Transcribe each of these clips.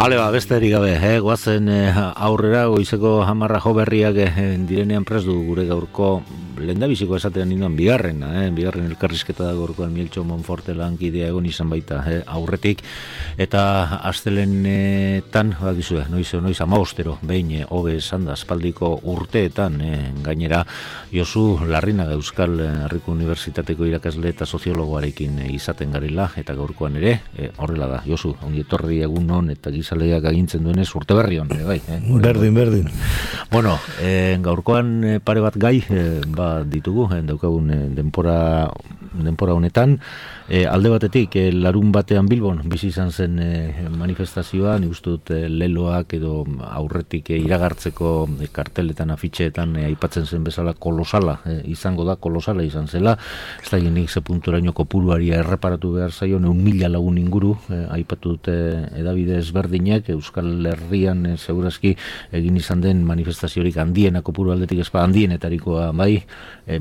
Ale, besterik gabe, guazen aurrera, goizeko 10 jo berriak direnean prest du gure gaurko lehendabiziko esatean ninduan bigarren elkarrizketa da gaurkoan Mieltxo Monforte lankidea egon izan baita aurretik, eta astelenetan, bakizue, noiz 15 behin hobe esan da aspaldiko urteetan, gainera Josu Larrinaga Euskal Herriko Unibertsitateko irakasle eta soziologoarekin izaten garela, eta gaurkoan ere, horrela da, Josu, ongi etorri egun non, eta gizaleak agintzen duenez urte berri hon, bai. Berdin. Bueno, gaurkoan pare bat gai, ditugu, daukagun denpora honetan, alde batetik, larun batean Bilbon, bizi izan zen manifestazioa, nik uste dut leloak edo aurretik iragartzeko karteletan, afitxeetan aipatzen zen bezala kolosala, izango da, kolosala izan zela, ez da nik ze punturaino kopuruari erreparatu behar zaio, 1.000 lagun inguru, aipatu dute edabide ezberdinak, Euskal Herrian segurazki egin izan den manifestaziorik handiena kopuru aldetik ezpa handienetarikoa bai,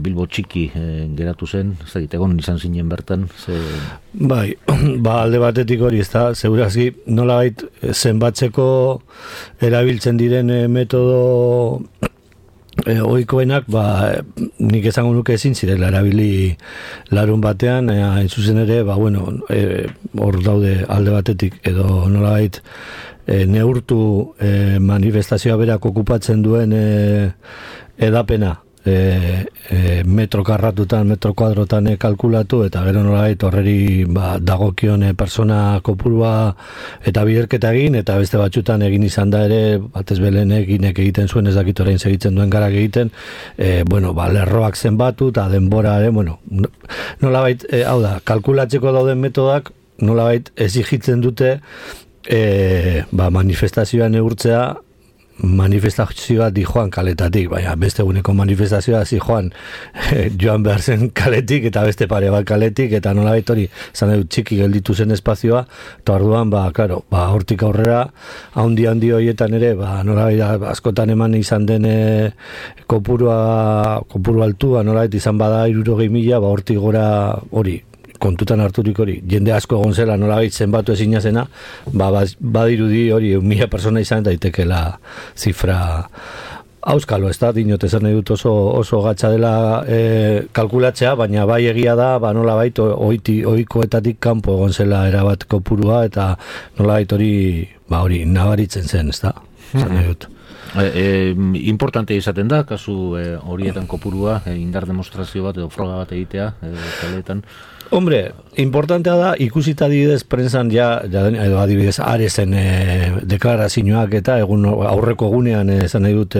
Bilbo txiki geratu zen, ez da egon izan zinen bertan, Bai, alde batetik hori, ez da, segurazki nolabait zenbatzeko erabiltzen diren metodo ohikoenak, nik esango nuke ezin zirela erabili larun batean, hain zuzen ere, hor daude alde batetik, edo nolabait neurtu manifestazioa berak okupatzen duen edapena, metro karratutan, metro kuadrotan kalkulatu, eta gero nolabait horreri dagokion persona kopurua eta biderketa egin, eta beste batzutan egin izan da ere, batez belen egiten zuen, ez dakit orain segitzen duen garak egiten, lerroak zenbatu, eta denbora ere, nolabait, hau da, kalkulatzeko dauden metodak, nolabait exigitzen dute manifestazioa neurtzea, manifestazioa dijoan kaletatik, baina beste eguneko manifestazioa zijoan joan behar zen kaletik eta beste pare bat kaletik, eta nolabait hori zan dut txiki gelditu zen espazioa, eta orduan, hortik aurrera handi horietan ere, nolabait askotan eman izan den kopuru altua, nolabait izan bada 60.000, hortik gora hori kontutan harturik hori, jende asko egon zela nolabait zenbatu ezina zena, badirudi hori 1.000 persona izan daitekela zifra auskalo, ez da, dinot esan nahi dut oso gatsa dela kalkulatzea, baina bai egia da, nolabait ohikoetatik kanpo egon zela erabat kopurua, eta nolabait hori nabaritzen zen, ez da, esan nahi dut. Importante izaten da, kasu horietan kopurua, indar demostrazio bat edo froga bat egitea, kaleetan. Hombre, importantea da, ikusita adibidez prensan edo adibidez Arezen deklarazioak eta aurreko egunean esan nahi dut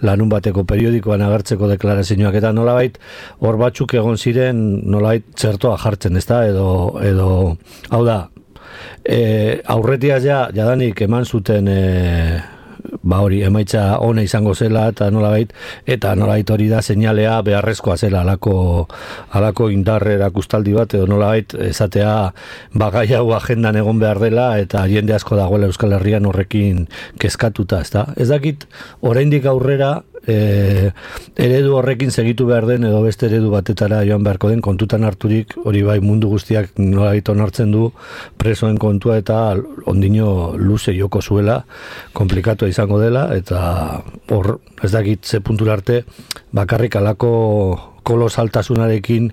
larun bateko periodikoan agertzeko deklarazioak eta nolabait hor batzuk egon ziren nolabait txertoa jartzen, ezta, edo hau da, aurretiaz jadanik eman zuten hori emaitza ona izango zela eta nolabait hori da seinalea beharrezkoa zela alako indar erakustaldi bat edo nolabait esatea gai hau agendan egon behar dela eta jende asko dagoela Euskal Herrian horrekin kezkatuta, ezta? Ez dakit oraindik aurrera eredu horrekin segitu behar den edo beste eredu batetara joan beharko den, kontutan harturik hori bai mundu guztiak nolabait onartzen du presoen kontua eta ondino luze joko zuela, komplikatu izango dela, eta hor ez dakit ze puntura arte bakarrik alako kolosaltasunarekin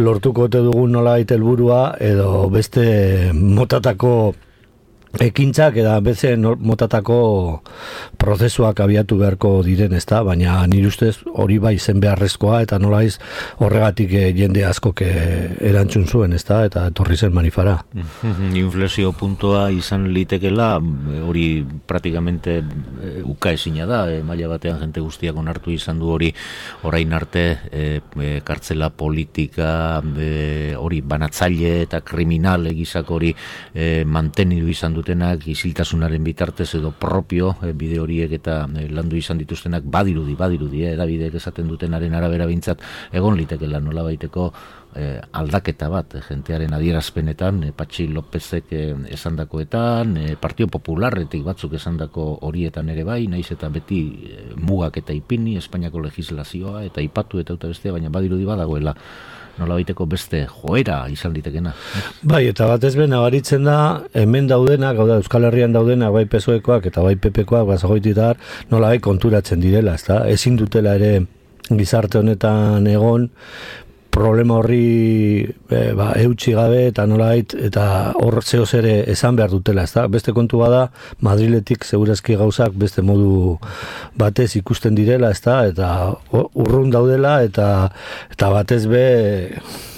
lortuko ote dugun nolabait helburua edo beste motatako ekintzak eta beste motatako prozesuak abiatu beharko diren, ezta, baina nire ustez hori bai zen beharrezkoa eta nolaiz horregatik jende askok erantzun zuen, ezta, eta etorri zen manifara. Inflexio puntua izan litekela, hori praktikamente ukaezina da, maila batean jente guztiak onartu izan du hori orain arte kartzela politika, hori banatzaile eta kriminal egizak hori mantenidu izan dutenak isiltasunaren bitartez edo propio bide horiek eta landu izan dituztenak badirudi, edabideek esaten dutenaren arabera bintzat egon litekela nolabaiteko aldaketa bat jentearen adierazpenetan, Patxi Lópezek esandakoetan, Partido Popularretik batzuk esandako horietan ere bai, naiz eta beti mugak eta ipini, Espainiako legislazioa eta ipatu eta bestea, baina badirudi badagoela nolabaiteko beste joera izan litekena. Bai, eta batez be nabaritzen da hemen daudenak, hau da Euskal Herrian daudenak, bai PSOEkoak eta bai PPkoak basagoititar nolabait konturatzen direla, ezta? Ezin dutela ere gizarte honetan egon problema horri eutsi gabe eta nolait eta hor zehoz ere esan behar dutela, ezta? Beste kontu bada Madriletik segurazki gauzak beste modu batez ikusten direla, ezta? Eta urrun daudela eta batez be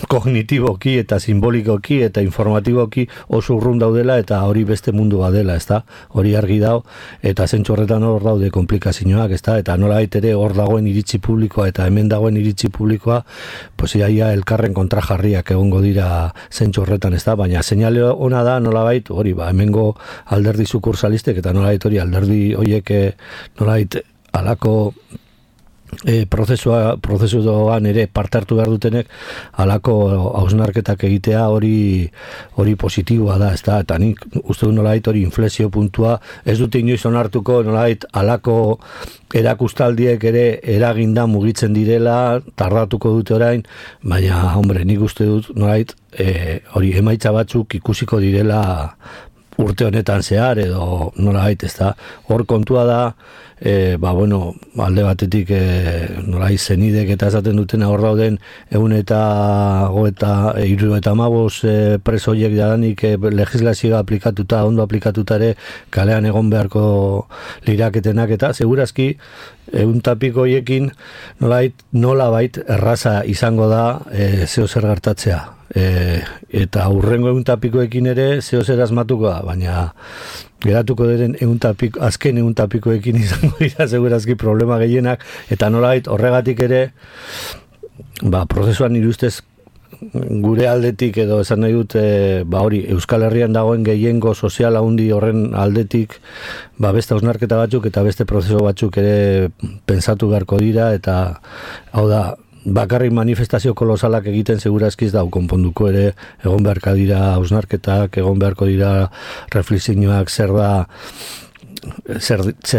kognitiboki eta simbolikoki eta informatiboki oso urrun daudela eta hori beste mundu badela, ezta? Hori argi dau eta zentzu horretan hor daude komplikazioak, ezta? Eta nolait ere hor dagoen iritzi publikoa eta hemen dagoen iritzi publikoa, pues ia elkarren kontrajarriak egongo dira zentzu horretan, ezta? Baina seinale ona da nolabait hori hemengo alderdi sukursalistek eta nolabait hori alderdi hoiek nolabait alako prozesuan ere parte hartu behar dutenek alako hausnarketak egitea hori positiboa da, ezta? Eta nik uste du nolabait hori inflexio puntua ez dute inoiz onartuko nolabait alako erakustaldiek ere eraginda mugitzen direla, tardatuko dute orain, baina, hombre, nik uste dut nolabait hori emaitza batzuk ikusiko direla urte honetan zehar edo nolabait, ezta? Hor kontua da alde batetik nolai zenidek eta esaten dutena hor dauden 175 presoiek jadanik legislazioa aplikatuta, ondo aplikatuta ere kalean egon beharko liraketenak eta segurazki 100 hoiekin nolabait erraza izango da zeo zer gertatzea. Eta hurrengo 100 ere zeo zer asmatuko da, baina geratuko diren azken 100 izango dira segurazki problema gehienak eta nolabait horregatik ere prozesuan nire ustez gure aldetik edo esan nahi dut hori Euskal Herrian dagoen gehiengo sozial handi horren aldetik beste hausnarketa batzuk eta beste prozesu batzuk ere pentsatu beharko dira eta hau da bakarrik manifestazio kolosalak egiten segurazkiz da konponduko ere egon beharko dira hausnarketak, egon beharko dira reflexioak zer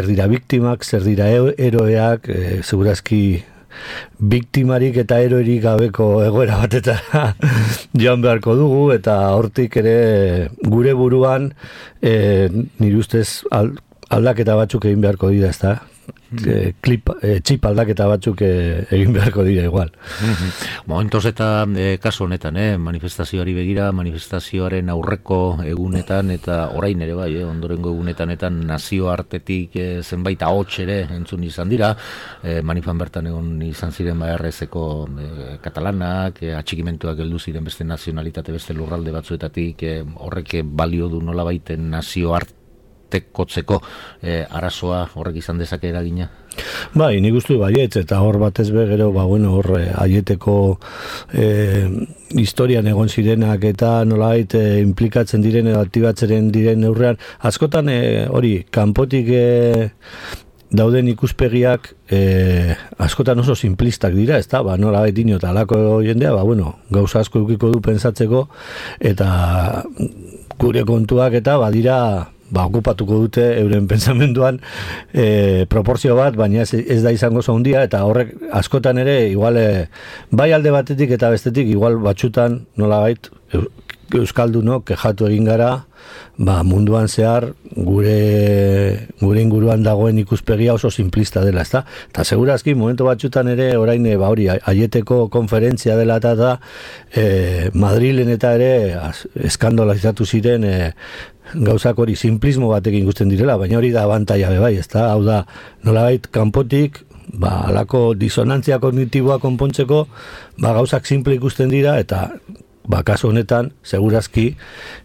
dira biktimak, zer dira eroeak, segurazki biktimarik eta eroerik gabeko egoera batetara joan beharko dugu eta hortik ere gure buruan nire ustez aldaketa batzuk egin beharko dira, ezta? Txip aldaketa batzuk egin beharko dira igual. Momentos eta kasu honetan, manifestazioari begira, manifestazioaren aurreko egunetan eta orain ere bai, ondorengo egunetan eta nazioartetik zenbait ahots ere entzun izan dira, manifan bertan egon izan ziren RS-eko katalanak, atxikimentuak heldu ziren beste nazionalitate, beste lurralde batzuetatik, horrek balio du nolabaiten nazioartekotzeko arazoa horrek izan dezake eragina? Bai, nik uste baietz, eta hor batez be gero, hor aieteko historian egon zirenak eta nolait implikatzen diren edo aktibatzen diren neurrean, askotan hori, kanpotik dauden ikuspegiak askotan oso simplistak dira, ezta? Nolabait dino eta alako jendea, gauza asko edukiko du pentsatzeko eta gure kontuak eta badira okupatuko dute euren pentsamenduan proportzio bat, baina ez da izango zaundia, eta horrek askotan ere igual bai alde batetik eta bestetik igual batxutan nolabait euskaldunok kexatu egin gara munduan zehar gure inguruan dagoen ikuspegia oso simplista dela, ezta? Eta segurazki momentu batzutan ere orain hori aieteko konferentzia dela eta Madrilen eta ere eskandalizatu ziren gauzak hori simplismo batekin ikusten direla, baina hori da abantaia bai, ezta? Hau da, nolabait kanpotik alako disonantzia kognitiboa konpontzeko gauzak simple ikusten dira eta kasu honetan, segurazki,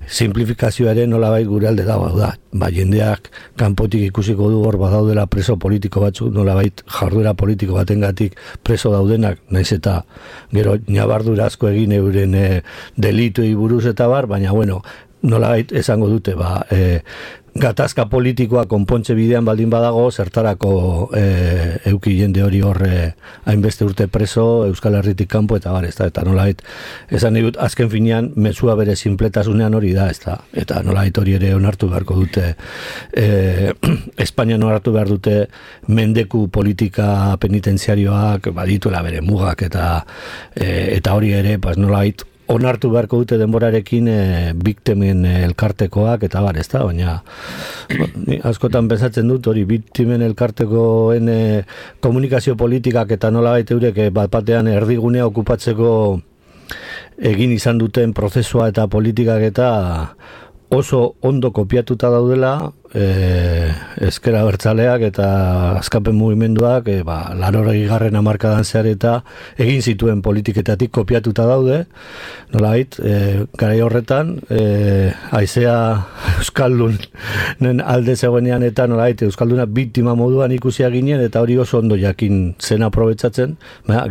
simplifikazioaren nolabait gure alde dago, da. Jendeak kanpotik ikusiko du hor badaudela preso politiko batzuk, nolabait jarduera politiko batengatik preso daudenak, naiz eta gero ñabardura asko egin euren delituei buruz eta bar, baina nolabait esango dute, gatazka politikoa konpontze bidean baldin badago, zertarako euki jende hori horre hainbeste urte preso, Euskal Herritik kanpo, eta bar, eta nolait, esan dut, azken finean, mezua bere sinpletasunean hori da, eta nolait hori ere onartu beharko dute, Espainia onartu behar dute mendeku politika penitenziarioak, badituela bere mugak, eta hori ere, nolait, onartu beharko dute denborarekin biktimen elkartekoak eta bar, ezta, baina askotan pensatzen dut hori biktimen elkartekoen komunikazio politikak eta nolabait eurek bat batean erdigunea okupatzeko egin izan duten prozesua eta politikak eta oso ondo kopiatuta daudela ezker abertzaleak eta askapen mugimenduak 80. hamarkadan zehar eta egin zituen politiketatik kopiatuta daude, nolait, garai horretan haizea Euskaldunen alde zegoenean eta nolait Euskalduna biktima moduan ikusia ginen eta hori oso ondo jakin zen aprobetsatzen,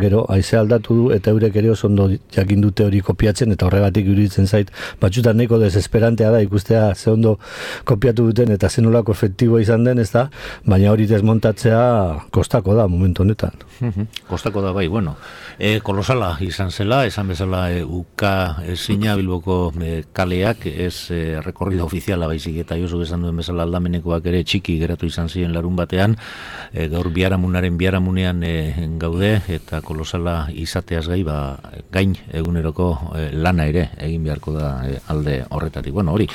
gero haizea aldatu du eta eurek ere oso ondo jakin dute hori kopiatzen eta horregatik iruditzen zait batzutan nahiko desesperantea da ikustea ze ondo kopiatu duten eta zenolako efektiboa izan den, ez da, baina hori desmontatzea kostako da momentu honetan. Kostako da bai, bueno, kolosala izan zela, esan bezala uka ezina Bilboko kaleak, ez rekorrida ofiziala baizik eta Josu esan duen bezala aldamenekoak ere txiki geratu izan ziren larun batean, gaur biharamunean gaude eta kolosala izateaz gain eguneroko lana ere egin beharko da alde horretatik. Bueno, hori,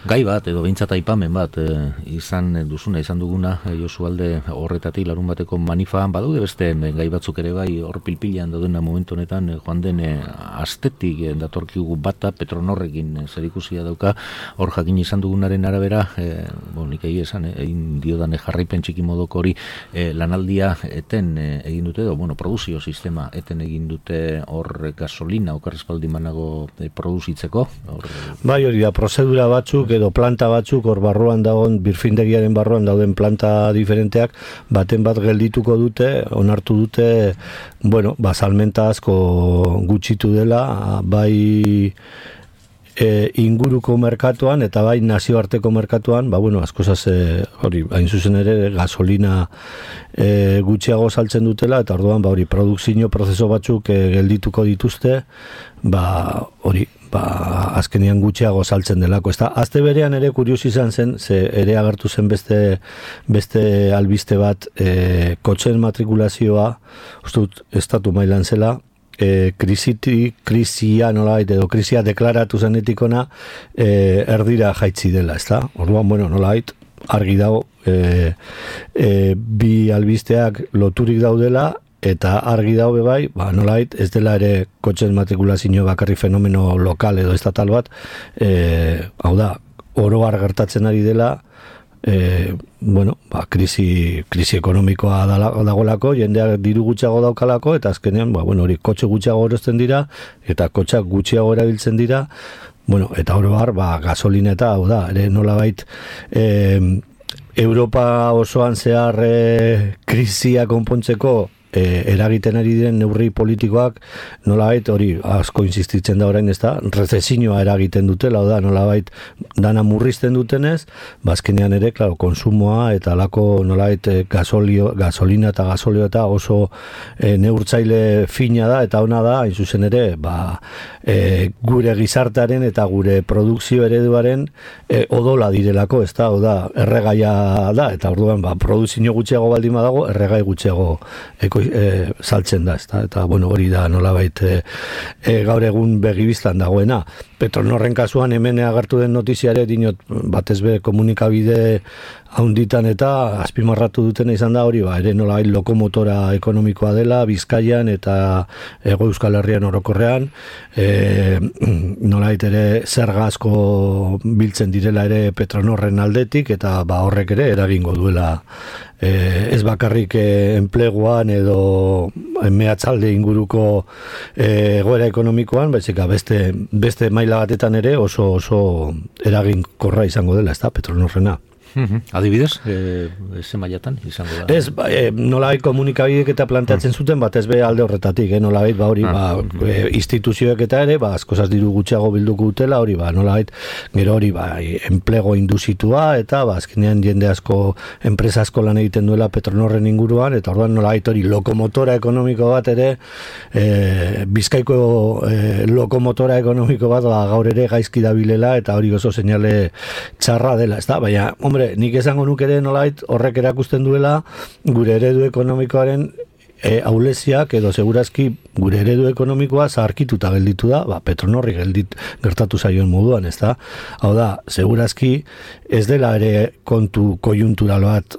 gai bat edo behintzat aipamen bat izan duguna Josu alde horretatik larun bateko manifan badaude beste gai batzuk ere bai hor pilpilean daudena momentu honetan joan den astetik datorkigu bata Petronorrekin zerikusia dauka hor jakin izan dugunaren arabera nik egin diodan jarraipen txiki modoko hori lanaldia eten egin dute edo produzio sistema eten egin dute hor gasolina okarrespaldi manago produzitzeko bai hori da prozedura batzuk edo planta batzuk hor barruan dagoen birfindegiaren barruan dauden planta diferenteak baten bat geldituko dute, onartu dute, salmenta asko gutxitu dela, bai inguruko merkatuan eta bai nazioarteko merkatuan, askozaz hori, hain zuzen ere gasolina gutxiago saltzen dutela eta orduan hori produkzio prozeso batzuk geldituko dituzte, hori azkenean gutxiago saltzen delako. Azte berean ere kurios izan zen, ze ere agertu zen beste albiste bat kotxen matrikulazioa, uste dut estatu mailan zela, krisia nolait edo krisia deklaratu zenetikona erdira jaitzi dela, ezta? Orduan, nolait, argi dago bi albisteak loturik daudela eta argi daube bai, nolait, ez dela ere kotxen matrikulazio bakarri fenomeno lokal edo estatal bat, hau da, oro har gertatzen ari dela, krisi ekonomikoa dagoelako, jendeak diru gutxiago daukalako, eta azkenean, hori kotxe gutxiago erosten dira, eta kotxak gutxiago erabiltzen dira, eta oro har, gasolineta, hau da, ere nolabait, Europa osoan zehar krisia konpontzeko eragiten ari diren neurri politikoak nolabait hori asko insistitzen da orain, ez da, rezesioa eragiten dutela, da, nolabait dana murrizten dutenez, bazkenean ere, klaro, konsumoa eta alako nolabait gasolina eta gasolio eta oso neurtzaile fina da eta ona da, hain zuzen ere, gure gizartearen eta gure produkzio ereduaren odola direlako, ez da, erregaia da, eta orduan, produzio gutxiago baldin badago, erregai gutxiago saltzen da, eta hori da nolabait gaur egun begibistan dagoena. Petronorren kasuan hemen agertu den notiziare dinot batez be komunikabide haunditan eta azpimarratu dutena izan da hori, ere nolabait lokomotora ekonomikoa dela Bizkaian eta Hego Euskal Herrian orokorrean, nolabait ere zerga asko biltzen direla ere Petronorren aldetik eta horrek ere eragingo duela ez bakarrik enpleguan edo mehatzalde inguruko egoera ekonomikoan, baizik beste maila batetan ere oso eraginkorra izango dela, ez da, Petronorrena. Adibidez, ze mailatan izango da? Ez, nolabait komunikabideek eta planteatzen zuten, bat ez be alde horretatik, nolabait, hori, instituzioek eta ere, askozaz diru gutxiago bilduko dutela, hori, nolabait, gero hori, enplego induzitua, eta, azkenean jende asko, enpresa asko lan egiten duela Petronorren inguruan, eta orduan nolabait hori lokomotora ekonomiko bat ere, Bizkaiko lokomotora ekonomiko bat, gaur ere gaizki dabilela, eta hori oso seinale txarra dela, ez da, baina, hombre, nik esango nuk ere nolait horrek erakusten duela gure eredu ekonomikoaren ahuleziak edo segurazki gure eredu ekonomikoa zaharkituta gelditu da, Petronorri gertatu zaion moduan, ez da? Hau da, segurazki ez dela ere kontu kojuntural bat,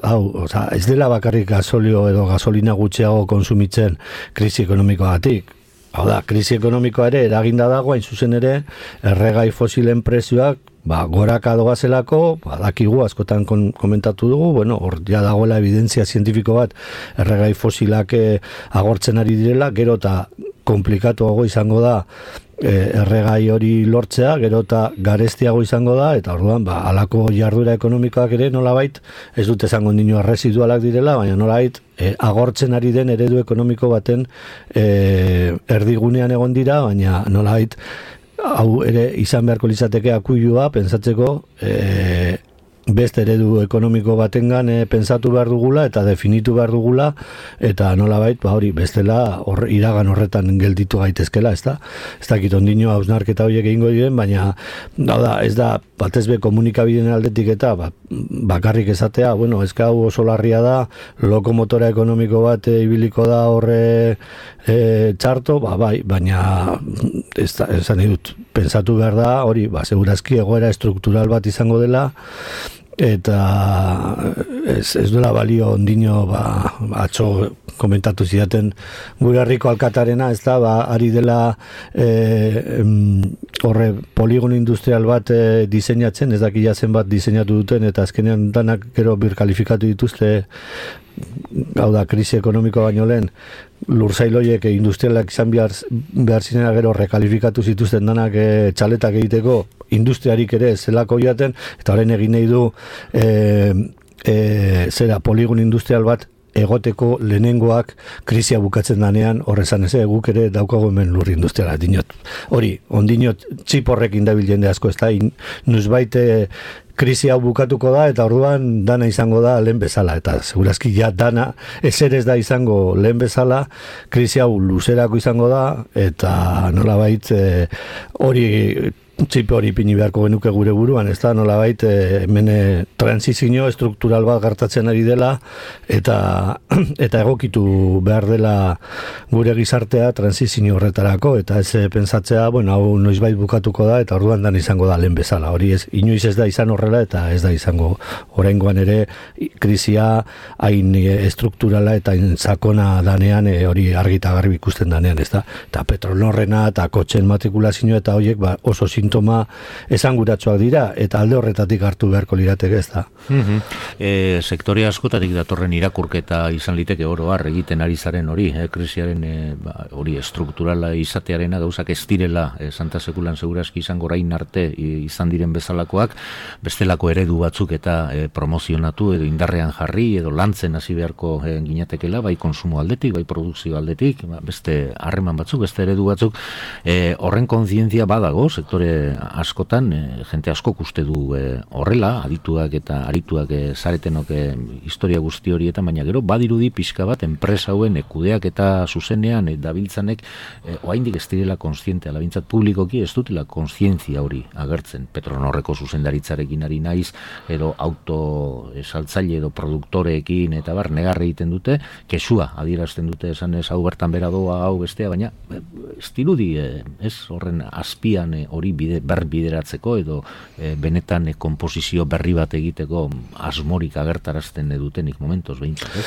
ez dela bakarrik gasolio edo gasolina gutxiago konsumitzen krisi ekonomikoagatik. Hau da, krisi ekonomikoa ere eraginda dago, hain zuzen ere, erregai fosilen prezioak goraka doazelako, dakigu, askotan komentatu dugu, hor ja dagoela evidentzia zientifiko bat, erregai fosilak agortzen ari direla, gero eta komplikatuago izango da erregai hori lortzea, gero eta garestiago izango da, eta orduan, halako jarduera ekonomikoak ere nolabait, ez dut esango nino residualak direla, baina nolabait, agortzen ari den eredu ekonomiko baten erdigunean egon dira, baina nolabait, hau ere izan beharko litzateke akuilua pentsatzeko beste eredu ekonomiko batengan pentsatu behar dugula eta definitu behar dugula eta nolabait hori bestela iragan horretan gelditu gaitezkela, ez dakit ondino hausnarketa horiek egingo diren, baina ez da batez be komunikabideen aldetik eta bakarrik esatea, ezka hau oso larria da, lokomotora ekonomiko bat ibiliko da horre txarto, baina esan dut, pentsatu behar da, hori, segurazki egoera estruktural bat izango dela, eta ez duela balio ondino atzo komentatu zidaten gure herriko alkatarena, ez da, ari dela horre poligono industrial bat diseinatzen, ez dakila zenbat diseinatu duten, eta azkenean danak gero birkalifikatu dituzte, hau da, krisi ekonomiko baino lehen, lurzailoiek industrialak izan behar zinera gero rekalifikatu zituzten danak txaletak egiteko industriarik ere zelako jaten, eta horrein egin nahi du poligon industrial bat egoteko lehenengoak krisia bukatzen danean, horrezan ez, guk ere daukago hemen lur industriala, dinot. Hori, ondinot txip horrekin dabil jende asko, ez da, nuzbait krisi hau bukatuko da, eta orduan dana izango da lehen bezala, eta segurazki ja dana ezer ez da izango lehen bezala, krisi hau luzerako izango da, eta nolabait hori txipe hori pini beharko genuke gure buruan, ez da, nolabait hemen transizio struktural bat gertatzen ari dela, eta egokitu behar dela gure gizartea transizio horretarako, eta ez pentsatzea, hau noizbait bukatuko da, eta orduan dan izango da lehen bezala, hori ez, inoiz ez da izan horrela, eta ez da izango oraingoan ere krisia hain estrukturala eta hain sakona danean, hori argita garbi ikusten danean, ez da, eta Petronorrena eta kotxen matrikulazioa eta horiek oso sintoma esanguratsuak dira, eta alde horretatik hartu beharko lirateke, ez da. Sektore askotatik datorren irakurketa izan liteke oro har egiten ari zaren hori, krisiaren hori estrukturala izatearena gauzak ez direla Santa Sekulan segurazki izango orain arte izan diren bezalakoak, bestelako eredu batzuk eta promozionatu edo indarrean jarri edo lantzen hasi beharko ginatekela, bai konsumo aldetik, bai produkzio aldetik, beste harreman batzuk, beste eredu batzuk, horren kontzientzia badago sektore askotan, jente askok uste du horrela, adituak eta arituak zaretenok historia guzti horietan, baina gero badirudi pixka bat enpresa hauen kudeak eta zuzenean dabiltzanek oraindik ez direla kontziente, alabintzat publikoki ez dutela kontzientzia hori agertzen. Petronorreko zuzendaritzarekin ari naiz, edo auto saltzaile edo produktoreekin eta negarre egiten dute, kesua adierazten dute esan ez hau bertan bera doa, hau bestea, baina ez dirudi ez horren azpian hori bideratzeko edo benetan komposizio berri bat egiteko asmorik agertarazten dutenik momentos behintzat, ez?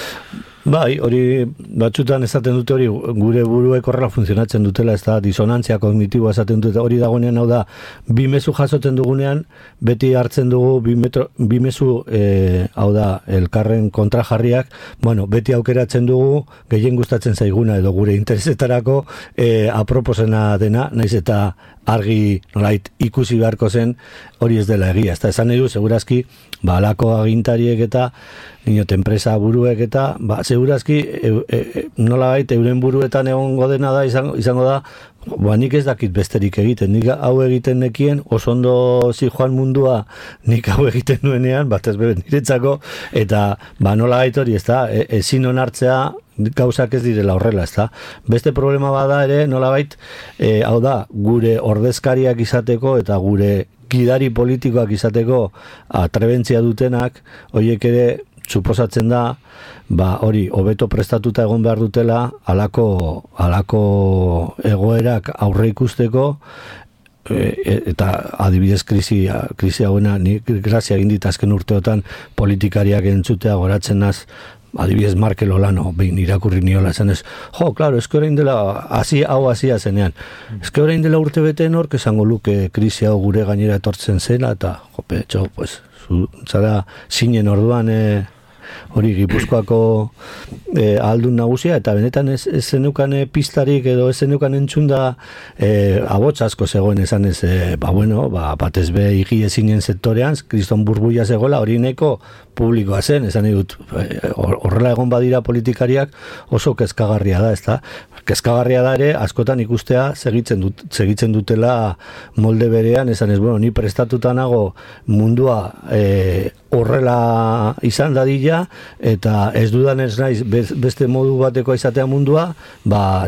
Bai, hori batzutan esaten dute hori gure buruek horrela funtzionatzen dutela, ez da disonantzia kognitiboa esaten dute, hori dagoenean hau da, bi mezu jasotzen dugunean, beti hartzen dugu bi mezu, hau da, elkarren kontrajarriak, bueno, beti aukeratzen dugu, gehien gustatzen zaiguna edo gure interesetarako aproposena dena, naiz eta argi nolait ikusi beharko zen hori ez dela egia. Ez da, esan nahi du, segurazki, alako agintariek eta niot enpresa buruek eta segurazki nolabait euren buruetan egongo dena da izango da, nik ez dakit besterik egiten, nik hau egiten nekien, oso ondo zijoan mundua nik hau egiten nuenean, batez beben niretzako, eta nolabait hori, ez da, ezin onartzea gauzak ez direla horrela, ez da. Beste problema bada ere, nolabait, hau da, gure ordezkariak izateko eta gure gidari politikoak izateko atrebentzia dutenak, horiek ere suposatzen da, hori, hobeto prestatuta egon behar dutela, halako egoerak aurre ikusteko, eta adibidez krisi hauena, nik grazia egin dit azken urteotan politikariak entzutea goratzen naz, adibidez Markel Olano, behin irakurri niola esan ez, claro, eske orain dela hasia zenean, eske orain dela urte bete nork esango luke krisi hau gure gainera etortzen zela, eta zara zinen orduan hori Gipuzkoako aldun nagusia, eta benetan ez zenukan pistarik edo ez zenukan entzunda abots asko zegoen esan ez, batez be higi ezinen sektorean, kriston burbuia zegoela, hori neko publikoa zen, esan dut, horrela egon badira politikariak oso kezkagarria da, ezta? Kezkagarria da ere, askotan ikustea segitzen dutela molde berean, esan ez, ni prestatuta nago mundua horrela izan dadila, eta ez dudan ez naiz beste modu bateko izatea mundua,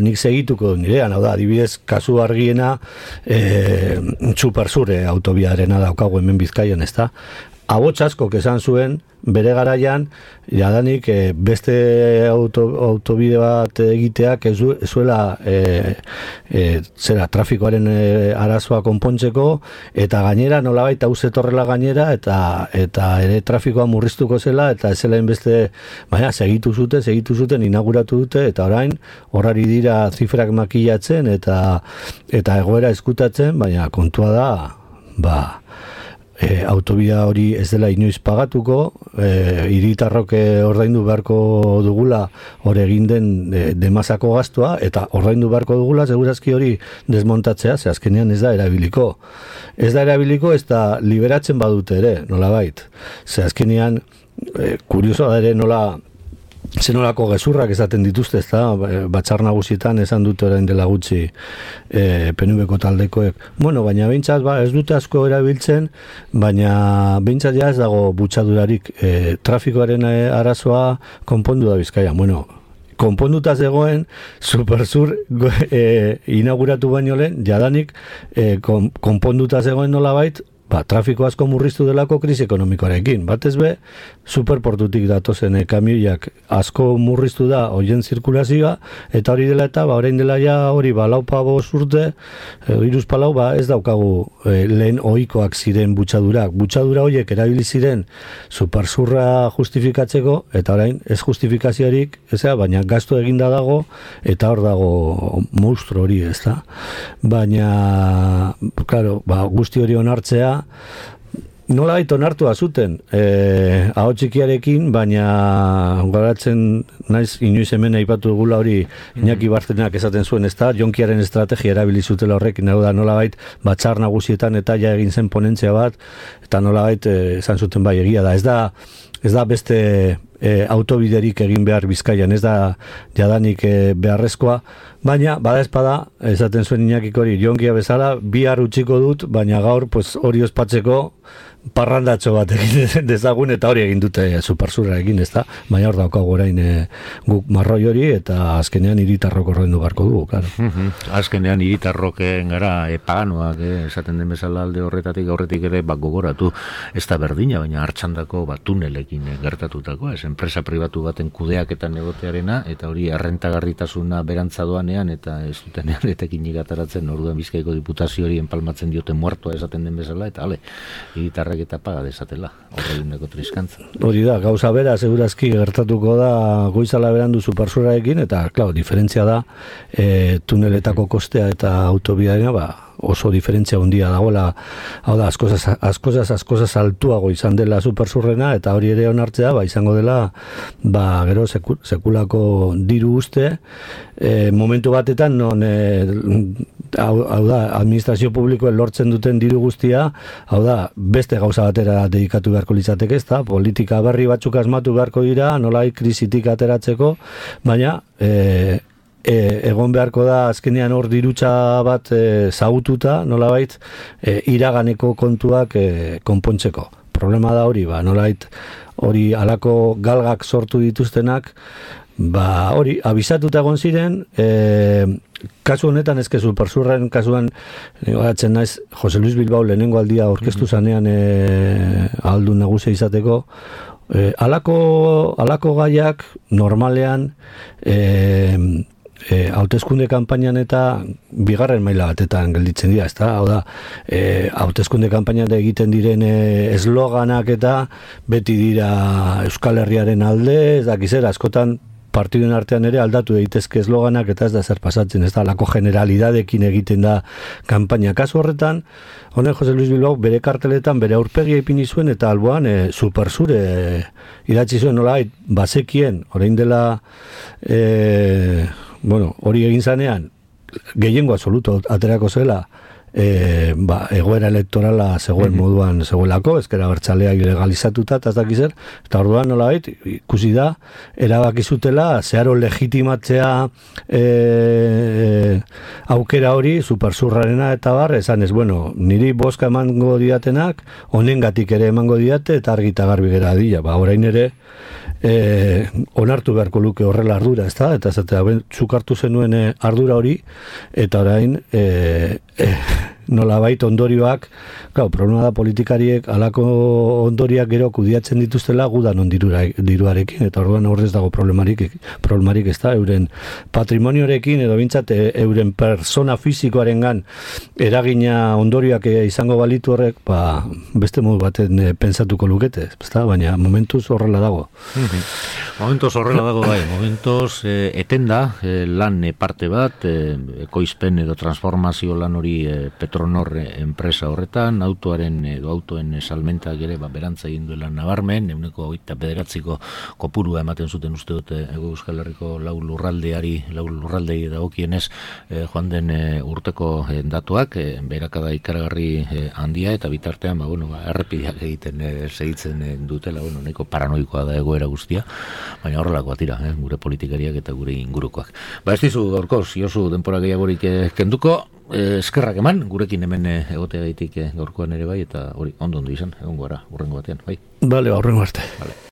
nik segituko nirean, hau da, adibidez, kasu argiena Supersure autobiarena daukagu hemen Bizkaian, ezta? Abots askok esan zuen, bere garaian, jadanik beste autobide bat egiteak ez zuela trafikoaren arazoa konpontzeko, eta gainera nolabait hau zetorrela gainera, eta ere trafikoa murriztuko zela, eta ez zela beste, segitu zuten, inauguratu dute, eta orain horari dira zifrak makillatzen, eta egoera eskutatzen, baina kontua da, autobidea hori ez dela inoiz pagatuko, hiritarrok ordaindu beharko dugula hor egin den demazako gastua, eta ordaindu beharko dugula segurazki hori desmontatzea, ze azkenean ez da erabiliko. Ez da liberatzen badute ere, nolabait. Ze azkenean, kurioso da ere nola zenolako gezurrak esaten dituzte, ez da, batzar nagusietan esan dute orain dela gutxi PNV-ko taldekoek. Baina behintzat, ez dute asko erabiltzen, baina behintzat ja ez dago butxadurarik trafikoaren arazoa konpondu da Bizkaia. Konponduta zegoen, Supersur inauguratu baino lehen, jadanik konponduta zegoen nolabait, trafiko asko murriztu delako krisi ekonomikoarekin. Batez be, superportutik datozen kamioiak asko murriztu da hoien zirkulazioa, eta hori dela eta, orain dela ja hori laupa urte, iruz palau, ez daukagu lehen ohikoak ziren butxadurak. Butxadura horiek erabili ziren Supersurra justifikatzeko, eta orain ez justifikaziorik, baina gastu eginda dago, eta hor dago monstru hori, ez da. Baina, claro, guzti hori onartzea, nolabait onartua zuten ahots txikiarekin, baina goratzen naiz inoiz hemen aipatu dugula hori Iñaki Bartenak esaten zuen, ezta, jonkiaren estrategia erabili zutela horrekin, hau da nolabait batzar nagusietan eta ja egin zen ponentzia bat, eta nolabait esan zuten bai egia da, ez da beste autobiderik egin behar Bizkaian, ez da jadanik beharrezkoa, baina bada espada, esaten zuen Iñakik hori, jonkia bezala, bihar utziko dut, baina gaur hori ospatzeko parrandatxo bat egin dezagun, eta hori egin dute Supersurra egin, ez da, baina hor daukagu orain guk marroi hori, eta azkenean hiritarrok ordaindu beharko dugu, claro. Azkenean hiritarroken gara paganoak, esaten den bezala alde horretatik aurretik ere gogoratu, ez da berdina, baina hartxandako tunelekin Renterekin gertatutako, enpresa pribatu baten kudeaketan egotearena, eta hori errentagarritasuna berantzadoanean, eta ez dutenean etekin igataratzen, orduan Bizkaiko Diputazio hori enpalmatzen dioten muertoa esaten den bezala, eta hiritarrek eta paga desatela, horreguneko triskantza. Hori da, gauza bera, segurazki gertatuko da goizala berandu Supersurrarekin, eta, klar, diferentzia da, tuneletako kostea eta autobidearena, oso diferentzia handia dagoela, hau da, askozaz altuago izan dela Supersurrena, eta hori ere onartzea, izango dela, gero sekulako diru uste, momentu batetan, non, hau da, administrazio publikoen lortzen duten diru guztia, hau da, beste gauza batera dedikatu beharko litzateke, ez da, politika berri batzuk asmatu beharko dira, nolai krisitik ateratzeko, baina, egon beharko da azkenean hor dirutza bat zagututa, nolabait, iraganeko kontuak konpontzeko. Problema da hori, nolabait, hori alako galgak sortu dituztenak, hori, abisatuta egon ziren, kasu honetan ezke Supersurren kasuan, gatzen naiz, Jose Luis Bilbao lehenengo aldia orkestu zanean aldun nagusia izateko, alako gaiak normalean hauteskunde kanpainan eta bigarren maila batetan gelditzen dira, ezta? Hau da, hauteskunde kanpainan egiten diren esloganak eta beti dira Euskal Herriaren alde, ez dakizera, askotan partiduen artean ere aldatu daitezke esloganak eta ez da zer pasatzen, ez da, lako generalidadekin egiten da kanpaina. Kasu horretan, honen Jose Luis Bilbao bere karteletan bere aurpegia ipini zuen eta alboan Supersur idatzi zuen nola bazekien, orain dela hori egin zanean gehiengo absoluto aterako zela egoera elektorala zegoen moduan zegoelako, ezkera bertxalea ilegalizatuta, eta ez dakizer, eta orduan nolabait, ikusi da, erabakizutela, zeharo legitimatzea aukera hori, Supersurrarena eta esan ez, niri boska emango diatenak, honengatik ere emango diate, eta argita garbi gera dira, orain ere, onartu beharko luke horrela ardura, ez da? Eta zuk hartu zenuen ardura hori, eta orain nolabait ondorioak, problema da politikariek alako ondoriak gero kudiatzen dituztela gudan diruarekin, eta orduan horrez dago problemarik ez da, euren patrimonioarekin edo bintzat euren persona fizikoarengan eragina ondorioak izango balitu horrek, beste modu baten pentsatuko lukete, baina momentuz horrela dago. Momentuz horrela dago momentuz etenda lan parte bat, ekoizpen edo transformazio lan hori Petronor enpresa horretan, autoen salmentak ere berantza egin duela nabarmen, 29% kopurua ematen zuten uste dute Euskal Herriko lau lurraldei dagokienez joan den urteko datuak, berakada ikaragarri handia, eta bitartean errepideak egiten segitzen dutela, nahiko paranoikoa da egoera guztia, baina horrelakoa tira, gure politikariak eta gure ingurukoak. Ez dizu gaurkoz, Josu, denpora gehiagorik kenduko, eskerrak eman, gurekin hemen egotea gaitik gaurkoan ere bai, eta hori ondo izan, egongo gara, urrengo batean, bai? Bale, urrengo arte.